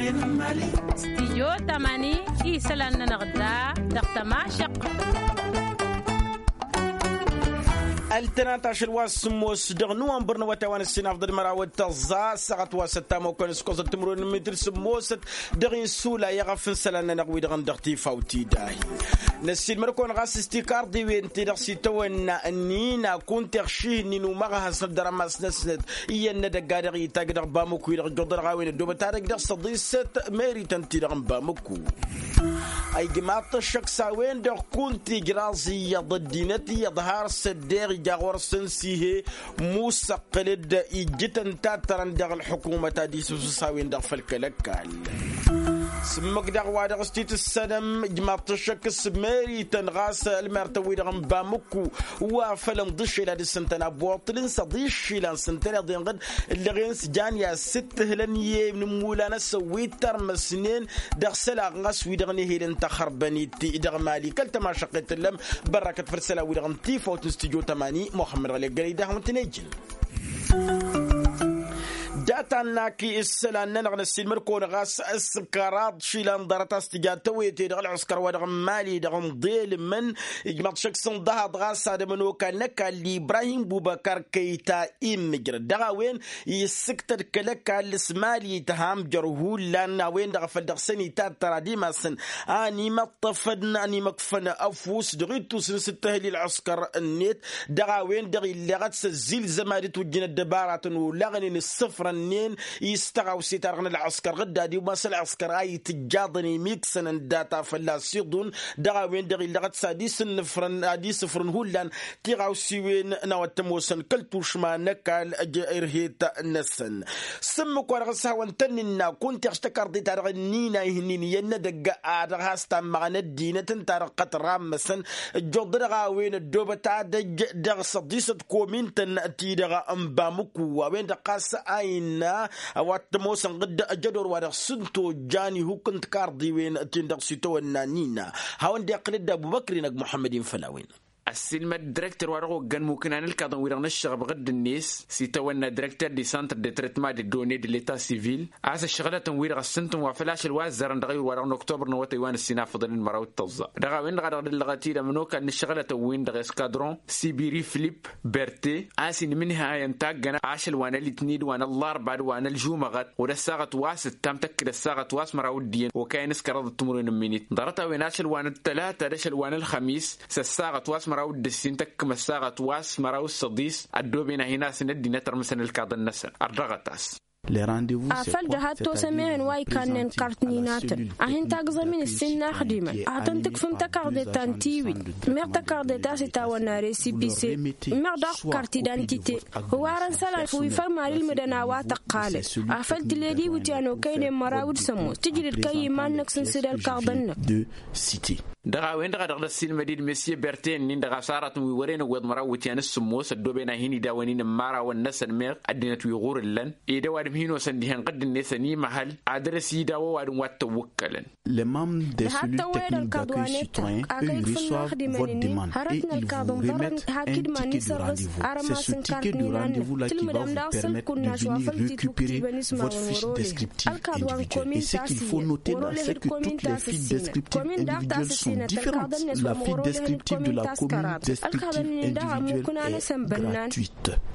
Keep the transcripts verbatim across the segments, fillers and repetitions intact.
Stijyo tamani isălan-nănăɣ da dăɣ-tămašăq. Ăltănat ašăl wa s-sǝmmos dăɣ-nǝwănbăr n-awătay wa n-ǝssin afḍăl măraw d-tăẓẓa ăssaɣăt wa s-ăttamokăn s-kosăt timǝrwen n-mitǝr sǝmmosăt dăɣ-insula i-iɣăf n-isălan-nănăɣ wi-dăɣ n-dăɣ-tifawt idahi. Năssiilmăd-kăwăn ɣas s-tikarḍiwen-ti-dăɣ s-itawănna ǝnnin akun tiɣših-nin umăɣhăs n-ăddărămas-năsnăt iyyăn n-edăgg a dăɣ-itajj dăɣ-bamuk-wi-dăɣ ǝjjuḍăr ɣawen ăddoobăt ad-ăj dăɣ-săḍisăt merităn-ti-dăɣ n-bamuk. Ijmaḍ-t ăššăk s-a-wen-dăɣ kunta ijraẓ iyyăḍ ăddinăt iyyăḍ har s-ăddeɣ ija ɣur-săn s-ihe musăqqǝl-dd ijjǝtăn tattărăn dăɣ-ălḥukumăt ad-isǝsǝs a-wen-dăɣ făll-kăl-ăkall. S-ǝmmǝk daɣ wa dăɣ-s titǝssănăm ijmaḍ-t ăššăk s-merităn ɣas ălmertăn-wi-dăɣ n-bamǝkku wa făl ǝnḍǝššel ad-ǝssǝntăn abuṭṭǝl n-săḍiššilan s-ǝntăneḍ-en-dăɣ ǝllăɣen s-jan i-ad-sǝttǝhǝlăn i-inǝmmulan-năsăn wi tărmăsnen dăɣ-isălan ɣas wi-dăɣ n-ehel n-taxărbănit dăɣ-mali kăl-tămašăqqet tǝllăm. Bărrakăt făll-isălan-wi-dăɣ n-tifawt n-studyo tămani muxămmăd ɣălek gănăy d-ahmǝntăn ejǝn. Data n-akǝy isălan-nănăɣ năssiilmăd-kăwăn ɣas s-kăraḍ išilan ḍarăt a-s tǝja tăwete dăɣ-ălɣǝskăr wa dăɣ-n mali dăɣ-inḍelmăn. Ijmaḍ šăkk s-ǝnḍăhaḍ ɣas ad-ămănokal n-ăkall ibrahim bubăkar kăyta immǝjrăd dăɣ-a-wen issǝktăd kăl-ăkall s-mali tăha amjăr hullan a-wen-dăɣ a făl dăɣ-săn itattăr ad-imasăn a n-imăṭṭăfăn a n-imăkfăn ăfuss dăɣ-ittus n-sǝttăhǝl i-ălɣǝskăr-net. Dăɣ-a-wen-dăɣ illeɣăt s-ăzzilzăm ad-ǝtwǝjjǝn ăddăbaratăn olaɣnen ǝssǝfrănnen i-s tăɣawse-ta-dăɣ n-ălɣǝskăr ɣǝdda ad-imas ălɣǝskăr a itǝjjaḍăn imiksănăn data fălla-s iḍun. Dăɣ-a-wen-dăɣ illăɣăt s-ad-isǝnnǝfrăn ad-isǝfrǝn hullan tiɣawsiwen n-a-wa t-ămoosăn kăl-tušma n-ăkall ărhet-năsăn. S-ǝmmǝk-wa-dăɣ s-hawăn-tăn-nǝnna kunta iɣš tăkarḍe-ta-dăɣ ǝnnin a ihǝnnin iyyăn n-edăgg a dăɣ-has-tammăɣăn ăddinăt ǝnta-dăɣ qăt rammăsăn. Ǝjjuḍ-dăɣ a-wen ăddoobăt ad-ăj dăɣ-săḍisăt komintăn ti-dăɣ n-bamǝkku a-wen-dăɣ ɣas a innă a-wa t-ămoosăn ɣǝdda ăjădor wa dăɣ-s n-tojjan ihuk n-tikarḍiwen-tin-dăɣ s-itawănna n-innă. Hawăn-dd-iqqǝl-dd abubăkr-in ăgg muḥămmăd-in făll-a-wen. Ăssiilmăd direkter wa dăɣ-oggăn mukǝna n-ǝlkaḍăn-wi-dăɣ n-ǝššăɣăb ɣǝdd-net s-itawănna direkter di centre de trătma de done de leta sivil a-s ăššăɣlătăn-wi-dăɣ ăssǝntăn wa făl ašăl wa ăzzărăn dăɣ-ayǝr wa dăɣ-noktobrăn n-awătay wa n-ǝssin afăḍăn d-măraw d-tăẓẓa. Dăɣ-a-wen-dăɣ a dăɣ-dd-ăllăɣăt-dd ămănokal n-ǝššăɣlătăn-win-dăɣ eskadron sibiri filip berte a-s inmǝnhayăn taggăna ašăl wa n-ălitni d-wa n-ăllarba d-wa n-ălžumăɣăt. Wăr ăssaɣăt wa s-ǝttam tăkk d-ăssaɣăt wa s-măraw d-iyyăn okayăn s-kăraḍăt timǝrwen n-minit ḍarăt-a-wen ašăl wa n-ăttălata d-ašăl wa n-ălxămis s-ăssaɣăt wa s-măraw d-ǝssin tăkk măssaɣăt wa s-măraw d-săḍis. Ăddooben a hin-asǝn ăddinăt ărmǝsăn ǝlkaḍăn-năsăn ărdăɣăt-as. Afăl dăɣ-ha t-osăm ehăn wa ikannen kart n-inatăn a hin-tagzăm-in ǝssin n-axdimăn ad-tăn-tǝkfǝm tăkarḍe ta n-tiwit. Meɣ tăkarḍe ta s-itawănna resipise meɣ daɣ kart idantite hǝwarăn isălan wi făl mad-ilmǝdăn a-wa tăqqalăn. Afăl tǝled iwǝtyan okăynen măraw d-sămoos tǝjrǝd kăy-iman-năk s-ǝnsǝd ălkaḍăn-năk. Dăɣ-a-wen-dăɣ a dăɣ-dd-ăssiilmăd-dd mesye berte-nin-dăɣ a-s aratăn wi wăren ăwweḍ măraw iwǝtyan s-sǝmmos ăddooben a hin-idawăn-in n-imărawăn-năsăn meɣ ăddinăt wi ɣur-ǝllăn. Ed ăwadǝm hin-osăn dihen ɣǝdd-net ănimăhăl ad-dăr-s idawăn ăwadǝm wa t-ăwwǝkkălăn. Dăɣ-ha t-tăwwăyăd ălkaḍ wa n-etănk akăy ǝkfǝn n-axdimăn-ǝnnin hărătnălkaḍ ǝnḍărrăn hak-dd iman-i sărɣǝs arămasăn kart n-inanăn tǝlmǝdăm daɣ săl kunnaš wa făl t-itwǝktibăn ismawăn wăr-olehăd ălkaḍ wa n-komin ta s-iyyăn wăr-olehăd komin ta s-ăssinăt komin daɣ ta s-ăssinăt ălkaḍăn-net wa măr-olehăd komin ta s-kăraḍăn ălkaḍăn-nin daɣ ămmukǝn-anăsăn bănnan.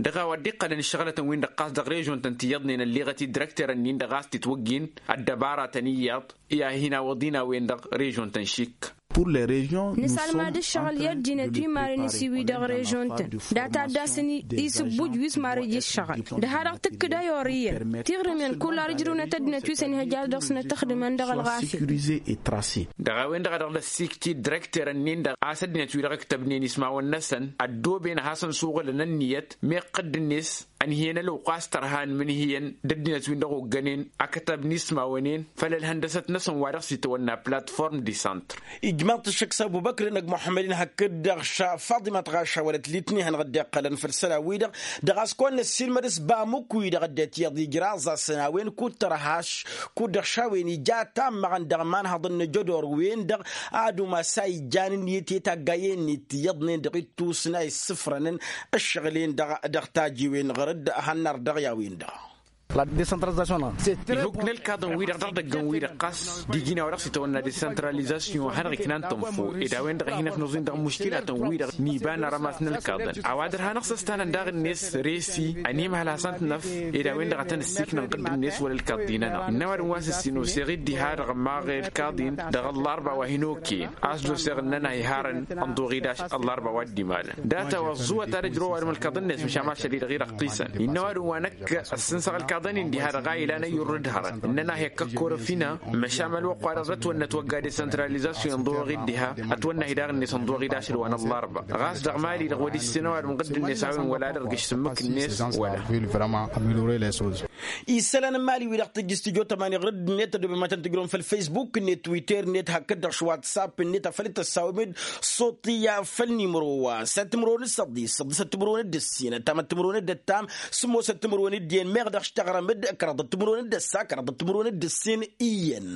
Dăɣ-a-wa dd-iqqălăn ǝššăɣlătăn-win-dăɣ ɣas dăɣ-režion-tăn ti iyyăḍnen ălleɣăt-dd direkter-ǝnnin-dăɣ a-s titwăggin ăddăbaratăn iyyăḍ i-ad-hin-awăḍin a-wen-dăɣ režion-tăn šik. Nǝsalmad ǝššăɣǝl i-ăddinăt wi marăn isiwi dăɣ-režion-tăn data a dd-asǝn isǝbbuj wi s-marăj ǝššăɣǝl. Dăɣ-ha-dăɣ tǝkkǝd ayor iyyăn tiɣrǝmen kull ar ǝjrǝwnăt ăddinăt wi s-ănihăj ad-dăɣ-snăt ăxdǝmăn dăɣ-ălɣafyăt. Dăɣ-a-wen-dăɣ a dăɣ-dd-ăssiikt-dd direkter-ǝnnin-dăɣ a-s ăddinăt-wi-dăɣ ǝktăbnen ismawăn-năsăn ăddooben ad-hasăn-suɣǝlăn ǝnniyăt meɣ ɣǝdd-net ănhǝyăn ălwăqq wa s-tărha n-imǝnhǝyăn d-ăddinăt-win-dăɣ oggănen. Akătab n-ismawăn-en făll-ălhăndăsăt-năsăn wa dăɣ-s itwănna platform de centre. Ijmaḍ-t ǝššăk s-abubăkr-in ăgg muḥămmăd-in hakd-dăɣ faḍimăt ɣašawălăt litni hanăɣ-dd-iqqălăn făll-isălan-wi-dăɣ. Dăɣ-a-s kăwăn-năssiilmăd s-bamuk-wi-dăɣ ăddinăt iyyăḍ ijraẓ-asăn a-wen kud-tărha š-kud-dăɣ šawen ija tammăɣăn dăɣ-imanhăḍăn n-ajădor-wen-dăɣ ad-umas a ijjan ǝnniyăt i-taggayen-net iyyăḍnen dăɣ-ittus n-a issǝfrănăn ǝššăɣǝl-en-dăɣ dăɣ-tajiwen ɣur-dd hannăr dăɣ-i a-wen-dăɣ. La decentralization-năɣ. Ihuk n-ălkaḍăn-wi-dăɣ dăɣ-idăggăn-wi-dăɣ ɣas d-iji n-a-wa dăɣ-s itawănna decentralizasyon hanăɣ-iknan tănfo ed a-wen-dăɣ a hin-ăknuẓin dăɣ-imuškilatăn-wi-dăɣ n-iba n-arămas n-ălkaḍăn a-wa dăr-hanăɣ-săstanăn daɣ-net resi ănimhăl hasăn-t-năf ed a-wen-dăɣ a tăn-ǝssiknăn ɣǝdd-net wăla ălkaḍ-dinănăɣ. Innă ăwadǝm wa s-ǝssin oseɣ-dd diha-dăɣ ămmaɣ i-ălkaḍ-in dăɣ-ăllarba wa hin-okăyăn a-s d-oseɣ ǝnnăn a iharăn ănḍuɣ-dd ašăl ăllarba wa dd-imalăn. Data wa ăẓẓuwăt ad-ăjrăw ăwadǝm ălkaḍăn-net măšan ašăl-i-dăɣ i-dăɣ qqisăn. Innă ăwadǝm wa năkk ăssǝnsăɣ ălkaḍăn-in diha-dăɣ a ilan ăyyurr d-hărăn ǝnnăn-ahi ăkkăkkorăf-ină. Măšan mălwăqq-wa-dăɣ s-ătwănnăt wăgga decentralizasyon ănḍuɣ-dd diha ătwănna-hi daɣ-net ănḍuɣ-dd ašăl wa n-ăllarba. Ɣas dăɣ-mali-dăɣ wăr-issǝn ăwadǝm ɣǝdd-net a-wen wăla ad-ărgǝš s-ǝmmǝk-net wăla. Isălan n-mali-wi-dăɣ tǝjjǝs tijotămani ɣǝdd-net ădobem ad-tăn-tǝjrăwăm făll-faysbuk-net twitter-net hakd-dăɣ š-whatsapp-net afăl t-ăssawem-dd. Suṭṭiya făll-nimro wa săt timǝrwen d-săḍis săḍisăt timǝrwen d-ǝssin ăttamăt timǝrwen d-ăttam sǝmmosăt timǝrwen d-iyyăn meɣ dăɣ-s teɣrăm-dd kăraḍăt timǝrwen d-ăssa kăraḍăt timǝrwen d-ǝssin iyyăn.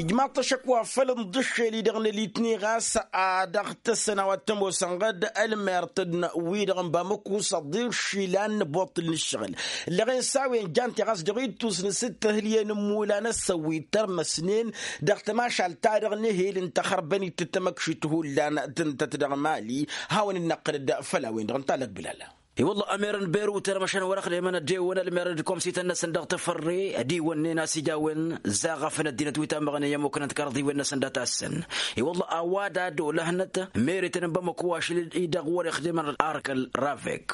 Ijmaḍ-t ašăk wa făl ǝnḍǝššel-i-dăɣ n-elitni ɣas a dăɣ-tăssăn a-wa t-ămoosăn ɣǝd ălmert n-wi-dăɣ n-bamăku săḍir šilan n-aboṭṭǝl n-ǝššăɣǝl. Ǝlleɣen s-a-wen jan-ti ɣas dăɣ-ittus n-sǝttăhǝlyen n-imulan ăssăwit tărmăsnen dăɣ-tămašalt-ta-dăɣ n-ehel n-taxărbănit d-tamăkšit hullan tǝntăt dăɣ-mali. Hawăn-dd-năqqǝl-dd făll-a-wen-dăɣ ǝnta lăkbǝlala. I-wălla ămer n-berut ărmăšăn wăr-ăxdemăn ad-ewăn ălmer d-komsităn-năsăn dăɣ-tafărre ad-iwănnen a-s ija a-wen zaɣ afăl ăddinăt wi tammăɣnen i-ămmuknăn tikarḍiwen-năsăn dat-assăn. I-wălla a-wa d-ad-olăhnăt merităn n-bamăko ašăl-i-dăɣ wăr-ixdimăn arkăl ravek.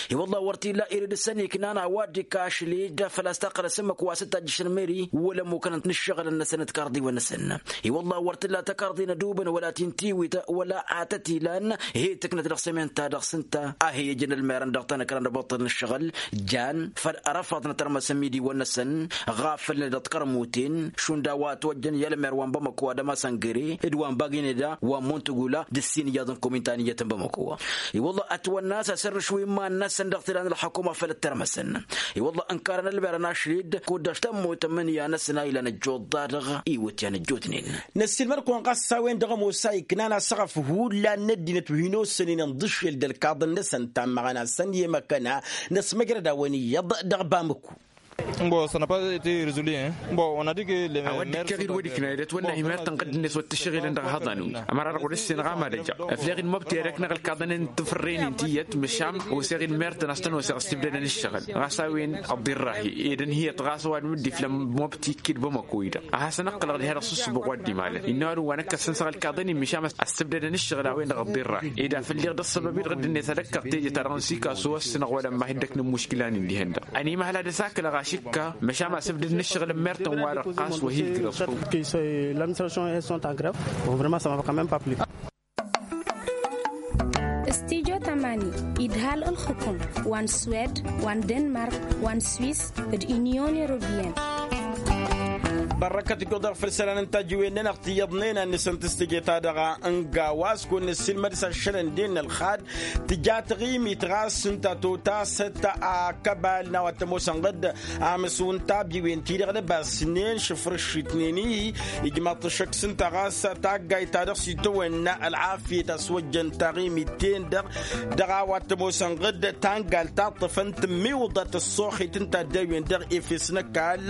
I-wălla wăr t-illa irid s-ăniknan a-wa dd-ikašli d-afăl a-s taqqălăt s-ǝmmǝk wa s-dd-tajjǝšăn meri wăla ămmuknăn n-ǝššăɣǝlăn-năsăn d-tikarḍiwen-năsăn. I-wălla wăr t-illa takarḍi n-ădubǝn wăla ti n-tiwit wăla a tăt-ilan. Hi-tǝknăt dăɣ-s emen-ta-dăɣ s-ǝnta a hi-ijăn ălmerăn dăɣ-tanăkra n-ăboṭṭăl n-ǝššăɣǝl jan făll-răfaḍnăt ărmăs n-imidiwăn-năsăn ɣafălnen dăɣ-tikărmuten šund a-wa ătwăjjăn i-ălmer wa n-bamăko adăma săngăre d-wa n-bagineda wa n-muntugula d-ǝssin iyyăḍ n-kominta n-iyyăt n-bamăko. I-wălla ătwănna a-s asărrǝš wi n-iman-năsăn dăɣ-tila n-ălxukuma făll-ăttărmăsăn. I-wălla ǝnkarăn ălmerăn ašăl-i-dd kud-dăɣ tămmut ămmǝnǝya-năsăn a ilan ăjjuḍ-da-dăɣ iwǝtyan ăjjootnen. Năssiilmăd-kăwăn ɣas s-a-wen-dăɣ ămoos a iknan asăɣăf hullan n-ăddinăt wi hin-ossănen ǝnḍǝššel d-ălkaḍăn-năsăn tammăɣăn ad-săn i-emăkăna năsmăjrăd-awăn iyyăḍ dăɣ-bamăku. N-bosănăpăt ti rezuli n-bo onădike. A-wa dd-ikkăɣ-dd wăr-ikna ed ătwănna hi-mertăn ɣǝdd-net wăr t-ǝššăɣǝlăn dăɣ-ehăḍan-wi. Ămăra-dăɣ wăr-ǝssin ɣamad ăjăɣ ăfleɣ-dd mobti erek n-aɣălkaḍăn n-tafărren-in tiyyăt măšan oseɣ-dd mertăn a-s tăn-oseɣ ăssibdădăn ǝššăɣǝl ɣas a-wen ăḍḍirrahi ed ǝnhǝyăt ɣas ăwadǝm dd-iflăm mobti ikkǝd bamăko-i-dăɣ a hasăn-ǝqqǝlăɣ diha-dăɣ s-ǝssǝbuɣ wa dd-imalăn innă ăwadǝm wa năkk ăssănsăɣ ălkaḍăn-in măšan ăssibdădăn ǝššăɣǝl a-wen-dăɣ ăḍḍirrahi ed afăl liɣ d-ăssăbăb-i-dăɣ dd-net ad-ăkkăɣ teje-ta-dăɣ n-sikasu ăssinăɣ wăla ămma hi-dd-ăknăm muškǝla-nin dihen-dăɣ. Ănimăhăl ad-ăsakǝlăɣ ašǝkka măšan asǝbdǝd n-ǝššăɣǝl n-mertăn-wa-dăɣ ɣas wa hi-ǝjrăẓ. Ladministration est sont en grève. Bon vrement ça mă va quand même pas plu. Studio tamani idhal ălxukum wa n-swed wa n-denmark wa n-swiss d-union européenne. Bărrăkăt ǝjjuḍ-aɣ făll-isălan n-tajǝwen-nănăɣ tiyyăḍnen ad-nǝsǝntǝs teje-ta-dăɣ n-gawa a-s kăwăn-nǝssilmăd s-ašălăn-den n-ălxad tǝja taɣimit ɣas ǝnta totasăt akăbal n-a-wa t-ămoosăn ɣǝd amǝswǝn tabyiwen-ti-dăɣ d-ăbasnen šǝfrǝššitnen-i. Ijmaḍ-t ăššăk s-ǝnta ɣas taggayt ta dăɣ-s itawănna ălɣafyăt a-s wăjjăn taɣimit-ten-dăɣ dăɣ-a-wa t-ămoosăn ɣǝd tangalt ta ǝṭṭăfăn tǝmmiwǝḍăt ăṣṣoxit n-taddawen-dăɣ efes n-ăkall.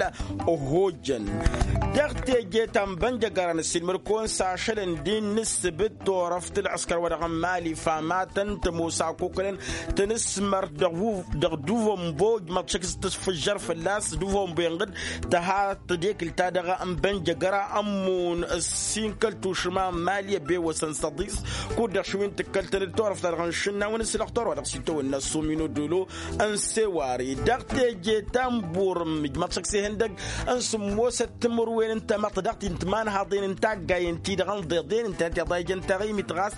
Ohojăn dăɣ-teje ta n-bănjăgăra n-ăssiilmăd-kăwăn s-ašălăn din n-ǝssǝbǝt turăft ălɣǝskăr wa dăɣ-n mali famatăn tămoos akoknen tăn-ǝsmăr dăɣ-duvănbo ǝjmăḍ šăkk s-tǝfǝžžăr fălla-s duvănbo inɣǝd tăha tădekǝl-ta-dăɣ n-bănjăgăra ămmun ǝssin kăl-tušǝma n-mali ăbewăsăn săḍis. Kud-dăɣ šăwin tǝkkăl-tăn-dd turăft-ta-dăɣ n-išǝnna a-wen ǝslăɣ torwa dăɣ-s itawănna s-omino dolo n-sewari dăɣ-teje ta n-burǝm ǝjmăḍ šăkk s-ihăndăg n-sǝmmosăt timǝrwen n-tamăḍt daɣ-t-in timanhaḍen n-taggayen-ti-dăɣ ǝnḍeḍen ǝntănăt iḍa ijăn taɣimit ɣas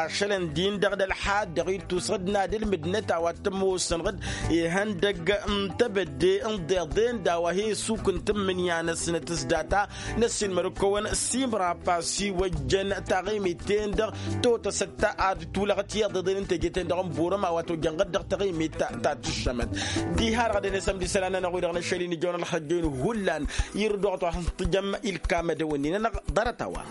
ašălăn-din-dăɣ d-ălḥad dăɣ-ittus ɣǝd n-ad-ǝlmǝdnăt a-wa t-ămoosăn ɣǝd ihăndăg n-tebădde ǝnḍeḍen d-a-wa he-isuk n-tǝmmǝnǝya-năsnăt s-data. Năssiilmăd-kăwăn simrapa s-iwăjjăn taɣimit-ten-dăɣ totăsăt ad-tulăɣăt i-iḍeḍen n-teje-ten-dăɣ n-burăm a-wa t-ojjăn ɣǝd dăɣ-taɣimit ta tǝššămăt. Diha-dăɣ ad-ănesăm d-isălan-nănăɣ wi-dăɣ n-ašăl-in ijăwăn ălxăjjăyăn hullan irǝd wa t-wa tǝjăm ilkamădăwăn-in-nănăɣ ḍarăt-a-wa.